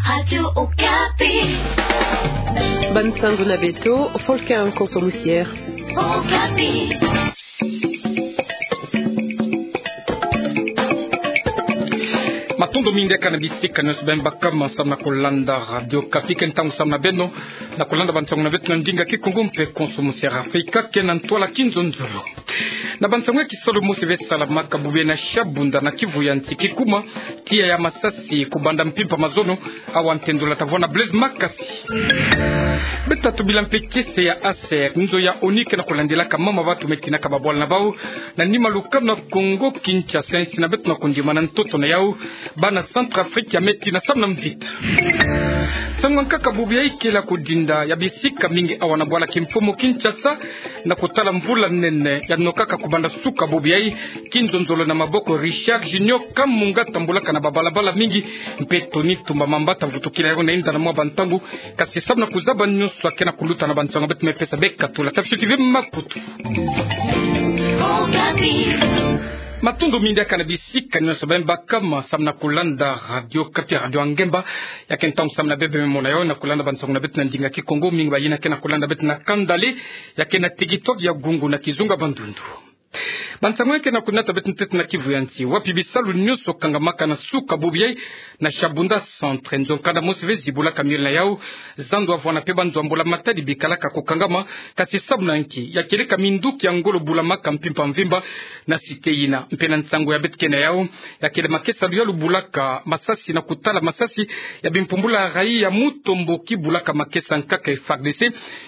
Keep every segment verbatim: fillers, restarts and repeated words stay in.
Radio Okapi. Bansango na beto, Volker Nkonso Musiere. Okapi. Matondo mingi diaka na bisika nyonso beno baka ma samu na kulanda Radio Okapi. Ke ntangu samu na beno na kulanda bansango na beto na ndinga Kikongo mpe Konso Musiere Afrika, ke na ntwala kinzonzolo. Na bansango ya kisalu mosi ve salamaka bubu yayi na Shabunda na Kivu ya Nsi, kikuma, tiya ya masasi, kubanda mpimpa mazono, awa ntendula tavwanda Blaise Makasi. Beto tubila mpe kiese ya ASER, nzo ya ONU ke na kulandilaka mama bantu me tinaka babwala na bau na nima lukanu na Kongo Kinshasa, insi na beto na kondimana ntoto na yau, bana Centrafrique ya me tina samu na mvita. Nsangu ya nkaka bubu yayi kele ya kudinda ya bisika mingi awa na bwala kimfumu Kinshasa, na kutala mvula nene ya nokaka kubanda suka bubu yayi, kinzonzolo na maboko Richard Junior Kamunga tambulaka na babalabala mingi, mpe Tony Tumba Mamba tavutukila yau na inda na mwa bantangu, kasi samu na kuzaba nyonso ya ke na kuluta na bansango beto me pesa beka tula. Tafioti ve Maputo. Matondo mingi diaka na bisika nyonso beno baka ma samu na kulanda Radio Okapi, Radio ya ngemba. Ya ke ntangu samu na bebe me mona yau na kulanda bansango na beto na ndinga Kikongo, mingi bayina ke na kulanda beto na kanda le, ya ke na tikitwaki ya gungu na kizunga bandundu. Bansango ya ke na kunata beto ntete na Kivu ya Nsi, wapi bisalu nyonso kangamaka na suka bubu yayi na Shabunda Centre, nzo nkanda mosi ve zibulaka miole na yau, zandu avwanda mpe banzo ya mbula matadi bikalaka kukangama, kasi samu na nki? Ya kieleka minduki ya ngolo bulamaka mpimpa mvimba na cité yina. Mpe na nsangu ya beto ke na yau, ya kele makesa ya luyalu bulaka masasi na kutala masasi ya bimpumbulu ya raï ya Mutomboki bulaka makesa ya nkaka FARDC,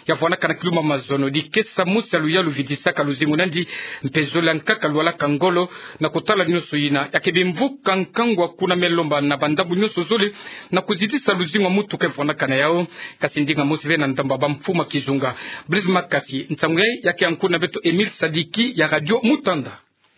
ya vwandaka na kilumbu ya mazono. Dikesa mosi ya luyalu vidisaka luzingu na yandi, mpe zole ya nkaka lwalaka ngolo. Na kutala nyonso yina, ya ke bimvuka nkangu ya kuna me lomba na bandambu nyonso zole, na kuzitisa luzingu ya mutuka vwandaka na yau, kasi ndinga mosi ve na ndambu ya bamfumu ya kizunga. Blaise Makasi, nsangu yayi ya ke ya nkuna beto Emile Sadiki ya Radio Mutanda.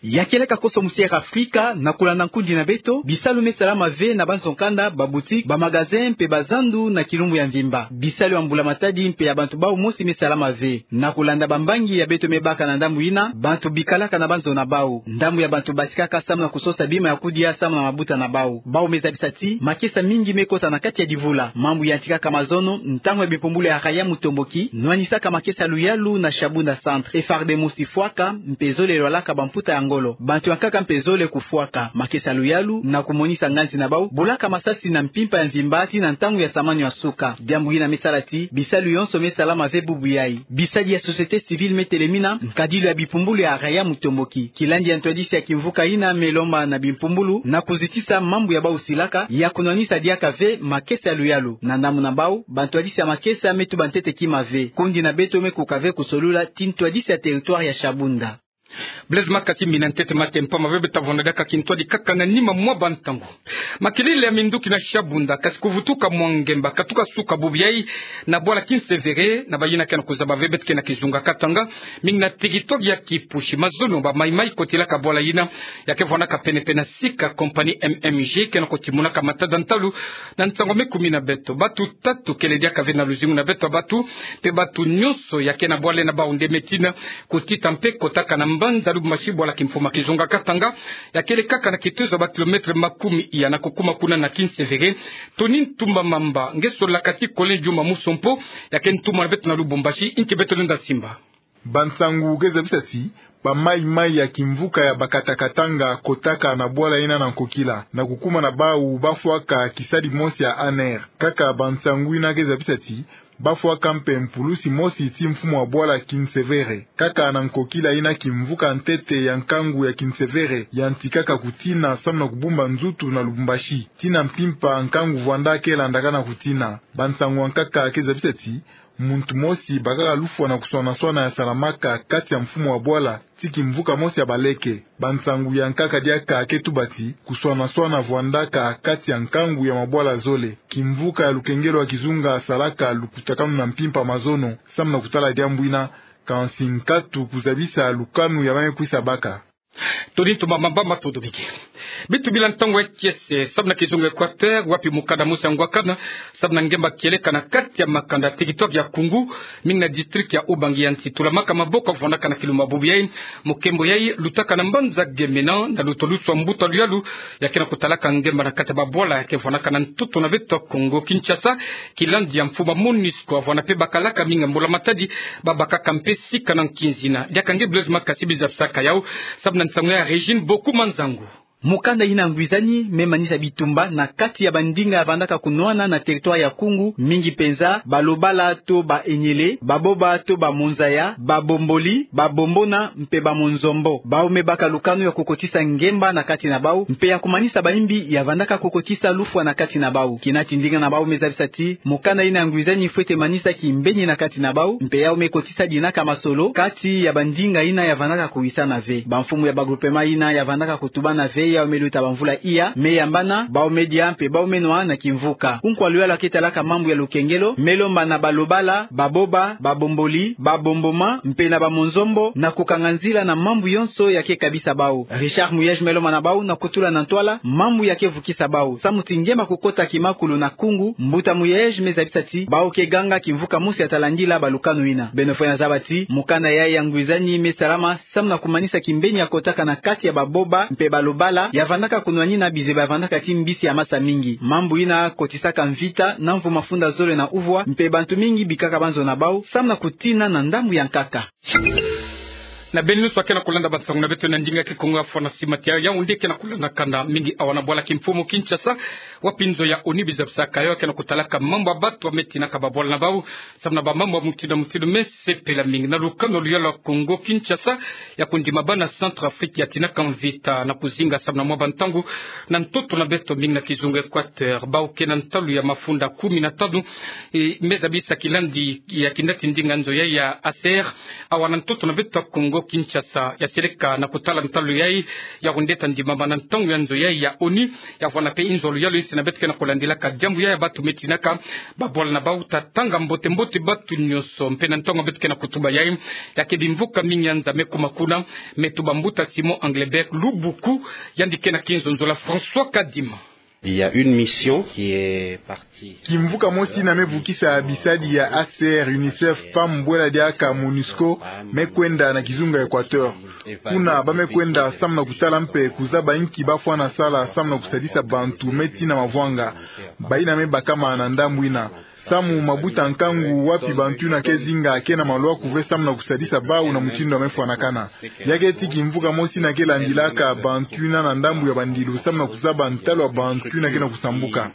Ya kieleka Konso Musiere Afrika, na kulanda nkundi na beto, bisalu me salama ve na banzo nkanda, baboutique, bamagasin, mpe bazandu na kilumbu ya mvimba. Bisalu ya mbula matadi mpe ya bantu bau mosi me salama ve. Na kulanda bambangi ya beto me baka na ndambu yina, bantu bikalaka na banzo na bau. Ndambu ya bantu basikaka samu na kusosa bima ya kudia samu na mabuta na bau. Bau me zabisa ti makesa mingi me kota na kati ya divula. Mambu yantikaka mazono, ntangu ya bimpumbulu ya raï ya Mutomboki nwanisaka makesa ya luyalu na Shabunda Centre. FARDC mosi fwaka, mpe zole lwalaka bamputa ya ngolo. Bantu ya nkaka mpe zole kufwaka. Makesa ya luyalu, na kumonisa nganzi na bau, bulaka masasi na mpimpa ya mvimba tii na ntangu ya samanu ya suka. Diambu yina me sala ti bisalu yonso me salama ve bubu yayi. Bisadi ya société civile me telemina nkadilu ya bimpumbulu ya raï ya Mutomboki. Kilandi ya ntwadisi ya kimvuka yina me lomba na bimpumbulu na kuzitisa mambu ya bau silaka ya kunwanisa diaka ve makesa ya luyalu. Na ndambu na bau, bantwadisi ya makesa me tuba ntete kima ve. Kundi na beto me kuka ve kusolula ti ntwadisi ya territoire ya Shabunda. Blaise Makasi, mina ntete mate mpamba ve, beta vwanda diaka kintwadi kaka na nima mwa bantangu. Makelele ya minduki na Shabunda, kasi kuvutuka mwa ngemba katuka suka bubu yayi na bwala Kinsevere, na bayina ke na kuzaba ve beto ke na kizunga Katanga, mingi na tikitwaki ya kipusi. Mazono ba maimai kotilaka bwala yina, ya ke vwandaka pene-pene na sika compagnie M M G ke na kotimunaka matada ntalu na nsangu me kumi na beto. Batu tatu kele diaka ve na luzingu na beto ya batu, mpe batu nyonso ya ke na bwala na bau nde me tina kutita mpe kotaka na mbanza Lubumbashi, bwala kimfumu ya kizunga Katanga, ya kele kaka na kitezo ya ba kilomètre makumi iya na kukuma kuna na Kinsevere. Tony Ntumba Mamba, nge solaka ti Collin Djuma Musompo, ya ke ntumwa na beto na Lubumbashi, nki beto lenda simba. Bansangu ke zabisa ti ba maimai ya kimvuka ya Bakata Katanga kotaka na bwala yina na nkokila, na kukuma na bau bafwaka kisadi mosi ya ANR. Kaka bansangu yina ke zabisa ti bafwaka mpe mpulusi mosi ti mfumu wa bwala Kinsevere. Kaka na nkokila yina kimvuka ntete ya nkangu ya Kinsevere yantikaka kutina samu na kubumba nzutu na Lubumbashi. Tii na mpimpa nkangu vwanda ke landakana kutina. Bansangu ya nkaka ke zabisa ti muntu mosi bakaka lufwa na kuswana-swana ya salamaka kati ya mfumu wa bwala ti kimvuka mosi ya baleke. Bansangu ya nkaka diaka ke tuba ti kuswana-swana vwandaka kati ya nkangu ya mabwala zole. Kimvuka ya lukengelo ya kizunga salaka lukutakanu na mpimpa mazono samu na kutala diambu yina, kansi nkatu kuzabisa lukanu ya ba me kwisa baka. Tony Ntumba Mamba, matondo mingi. Beto bila ntangu ya kiese, samu na kizunga Equateur, wapi mukanda mosi ya ngwakana samu na ngemba kieleka na kati ya makanda, territoire ya Koungou, mingi na district ya Oubangui, ya nsi tulamaka maboko vwandaka na kilumbu bubu yai. Mukembo yai lutaka na mbanza Gemena, na luto lusu ya mbuta luyalu ya ke na kutalaka ngemba na kati ya babwala ya ke vwandaka na ntoto na beto Kongo-Kinshasa. Kilandi ya mfumu ya MONUSCO, avwanda mpe bakalaka mingi ya mbula matadi, babakaka mpe sika na nkinzina. Diaka nge Blaise Makasi biza bisaka yau, samu na nsangu ya Régine Boku Manzangu. Mukanda ina ngwizani me manisa bitumba na kati ya bandinga ya vandaka kunwana na territoire ya Koungou, mingi mpenza Balobala to Baenyele, Baboba to Bamonzaya, Babomboli, Babombona mpe Bamonzombo. Bau me baka lukanu ya kukotisa ngemba na kati na bau, mpe ya kumanisa baimbi ya vandaka kukotisa lufwa na kati na bau. Kina ti ndinga na bau me zabisa ti mukanda ina ngwizani fwete manisa kimbeni na kati na bau, mpe yau me kotisa dinaka masolo kati ya bandinga ina ya vandaka kuwisana ve. Bamfumu ya bagroupement ina ya vandaka kutubana ve, yau me luta bamvula iya, me yambana, bau me dia mpe bau me nwa na kimvuka. Kunkwa luyalu ya ke talaka mambu ya lukengelo me lomba na Balobala, Baboba, Babomboli, Babomboma mpe na Bamonzombo na kukanga nzila na mambu yonso ya ke kabisa bau. Richard Muyej me lomba na bau na kutula na ntwala mambu ya ke vukisa bau. Samu ti ngemba kukota kimakulu na Koungou, mbuta Muyej me zabisa ti bau ke ganga kimvuka mosi ya talandila balukanu ina. Beno fwete zaba ti mukanda yai ya ngwizani me salama samu na kumanisa kimbeni ya kotaka na kati ya Baboba mpe Balobala ya vandaka kunwanina bize ba vandaka ti mbisi ya masa mingi. Mambu ina kotisaka mvita na mvu mafunda zole na uvwa, mpe bantu mingi bikaka banzo na bau samu na kutina na ndambu ya nkaka. Na beno nyonso ya ke na kulanda bansangu na beto na ndinga Kikongo ya fwana sima ti Yaoundé, ke na kulanda kanda mingi awa na bwala kimfumu Kinshasa, wapi nzo ya ONU biza bisaka yau ke na kutalaka mambu ya bantu ya me tinaka babwala na bau samu na bamambu ya mutindu mutindu me sepela mingi. Na lukanu luyalu ya Kongo-Kinshasa ya kundima bana Centrafrique ya tinaka mvita na kuzinga samu na mwa bantangu na ntoto na beto mingi na kizunga Equateur, bau ke na ntalu ya mafunda kumi na tanu, e, me zabisa kilandi ya kinda ti ndinga nzo yai ya ACR, awa na ntoto na beto Kongo-Kinshasa, ya seleka na kutala ntalu yai ya kundeta ndimama na ntangu ya nzo yai ya ONU. Ya vwanda mpe inzo luyalu insi na beto ke na kulandilaka diambu yai ya bantu me tinaka babwala na bau. Tatanga mbote mbote bantu nyonso. Mpe na ntangu beto ke na kutuba yai, ya ke bimvuka mingi ya nza me kuma kuna, me tuba mbuta Simon Englebert Lubuku, yandi ke na kinzonzolo ya François Kadima. Il y a une mission qui est partie. Kimvuka mosi ina me vukisa bisadi ya ACR, UNICEF, PAM, bwela diaka MONUSCO, me kwenda na kizunga Equateur. Kuna ba me kwenda samu na kutala mpe kuzaba inki ba fwana sala samu na kusadisa bantu me tina mavwanga, baina me bakama na ndambu ina. Samu mabuta nkangu wapi bantu ina ke zinga ke na malwaku ve samu na kusadisa bau na mutindu ya me fwanakana. Ya ke ti kimvuka mosi ina ke landilaka bantu ina na ndambu ya bandilu samu na kuzaba ntalu ya bantu ina ke na kusambuka.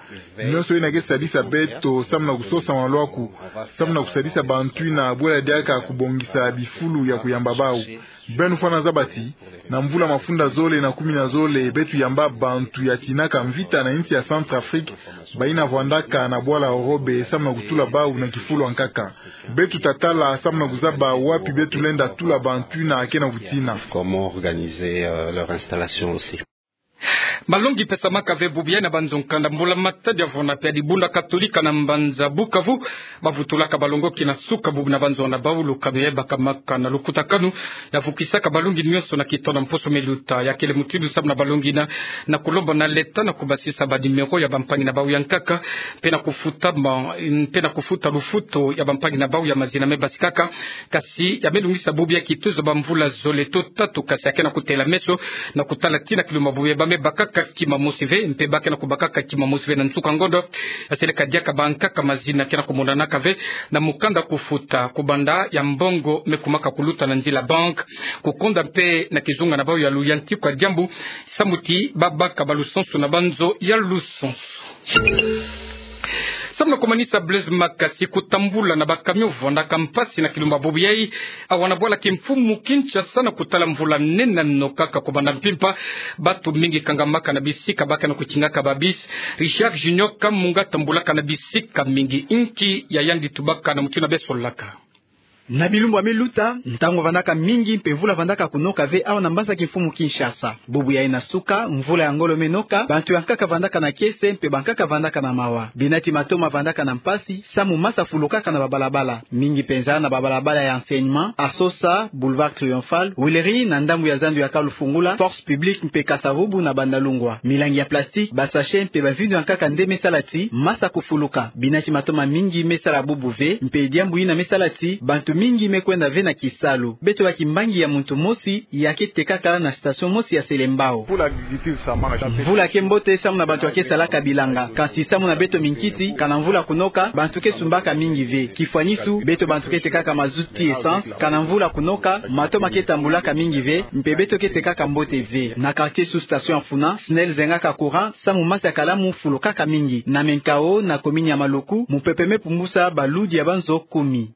Nyonso ina ke sadisa beto samu na kusosa malwaku, samu na kusadisa bantu ina bwela diaka kubongisa bifulu ya kuyamba bau. Beno fwana zaba ti na mvula mafunda zole na kumi na zole beto yamba bantu ya tinaka mvita na insi ya Centrafrique, baina vwandaka na bwala Eurobe samu na kutula bau na kifulu ya nkaka. Beto tatala samu na kuzaba wapi beto lenda tula bantu ina ke na kutina. Comment organiser, euh, leur installation aussi. Malongi pesamaka ve bubu yai na banzo nkanda mbula matadi ya vwanda mpe ya dibunda Katolika na mbanza Bukavu, bavutulaka balongoki na suka bubu na banzo na bau. Lukanu yai bakamaka na lukutakanu ya vukisaka balongi nyonso na kitono mposo me luta. Ya kele mutindu samu na balongi ina na kulomba na leta na kubasisa ba numéro ya bampangi na bau ya nkaka, mpe na kufuta ma-, mpe na kufuta lufutu ya bampangi na bau ya mazina me basikaka. Kasi ya me lungisa bubu yai kitezo bamvula zole to tatu, kasi ya ke na kutela meso na kutala tina kilumbu bubu yai ba me bakaka kima mosi ve, mpe ba ke na kubakaka kima mosi ve na nsuka ngonda. Ya seleka diaka bankaka mazina ke na kumonanaka ve na mukanda kufuta, kubanda ya mbongo me kumaka kuluta na nzila banque, kukonda mpe na kizunga na bau ya luyantiku ya diambu, samu ti ba baka balusansu na banzo ya lusansu. Samu na kumanisa Blaise Makasi, kutambula na ba camion vwandaka mpasi na kilumbu bubu yai awa na bwala kimfumu Kinshasa na kutala mvula nene na nokaka kubanda mpimpa. Bantu mingi kangamaka na bisika ba ke na kutingaka ba bus. Richard Junior Kamunga tambulaka na bisika mingi. Inki ya yandi tubaka na mutindu ya besolaka. Na bilumbu ya me luta, ntangu vandaka mingi mpe mvula vandaka kunoka ve awa na mbanza kimfumu Kinshasa. Bubu yayi na suka, mvula ya ngolo me noka, bantu ya nkaka vandaka na kiese mpe bankaka vandaka na mawa. Binati matoma vandaka na mpasi, samu masa fulukaka na babalabala. Mingi mpenza na babalabala ya Enseignement, Asosa, Boulevard Triomphal, Huileries na ndambu ya zandu ya Kalufungula, Force Publique mpe Kasa-Vubu na Bandalungwa. Milangi ya plastique, ba sachets mpe bavindo ya nkaka nde me sala ti masa kufuluka. Binati matoma mingi me sala bubu ve, mpe diambu yina me sala ti bantu mingi me kwenda ve na kisalu. Beto baki mbangi ya muntu mosi, ya ke tekaka na station mosi ya Selembao. Mvula ke mbote samu na bantu ya ke salaka bilanga. Kansi samu na beto minkiti, kana mvula kunoka, bantu ke sumbaka mingi ve. Kifwanisu, beto bantu ke tekaka mazout ti essence, kana mvula kunoka, matoma ke tambulaka mingi ve, mpe beto ke tekaka mbote ve. Na quartier sous-station ya Funa, SNEL zengaka courant, samu masa ya kalamu fulukaka mingi. Na Menkao, na commune ya Maluku, mupepe me pumbusa baludi ya banzo kumi.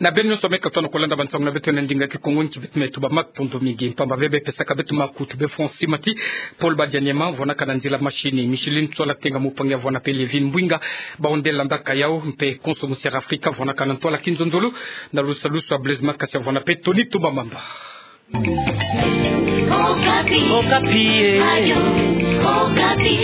Na beno nyonso me katuka na kulanda bansangu na beto na ndinga Kikongo, nki beto me tuba matondo mingi mpamba ve bê pesaka beto makutu. Bê Francis Mati, Paul Badianyema, vwanaka na nzila machine, Micheline Tsola Tenga, mopangi ya vwana pe Levin Mbwinga, bawu nde landaka yawu, mpe konso Musière Africa, vwanaka na ntwala kinzonzolo, na lusalusu ya Blaise Makasi, vwana pe Tony Tumba Mamba. Okapi. Okapi, eh. Radio Okapi.